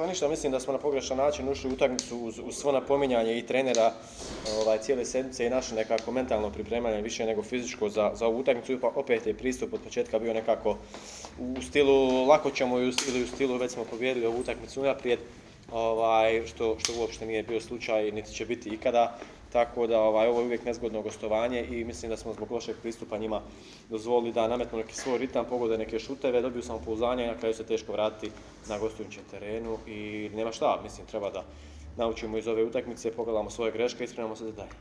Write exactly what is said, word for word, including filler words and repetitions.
Pa ništa, mislim da smo na pogrešan način ušli u utakmicu uz, uz svo napominjanje i trenera ovaj, cijele sedmice i naše nekako mentalno pripremanje više nego fizičko za, za ovu utakmicu. Pa opet je pristup od početka bio nekako u stilu lako ćemo ili u stilu već smo pobijedili ovu utakmicu unaprijed, ovaj, što, što uopšte nije bio slučaj niti će biti ikada. Tako da ovaj, ovo je uvijek nezgodno gostovanje i mislim da smo zbog lošeg pristupa njima dozvolili da nametnu neki svoj ritam, pogode neke šuteve, dobiju samopouzdanje i na kraju se teško vratiti na gostujućem terenu i nema šta, mislim treba da naučimo iz ove utakmice, pogledamo svoje greške i spremamo se za dalje.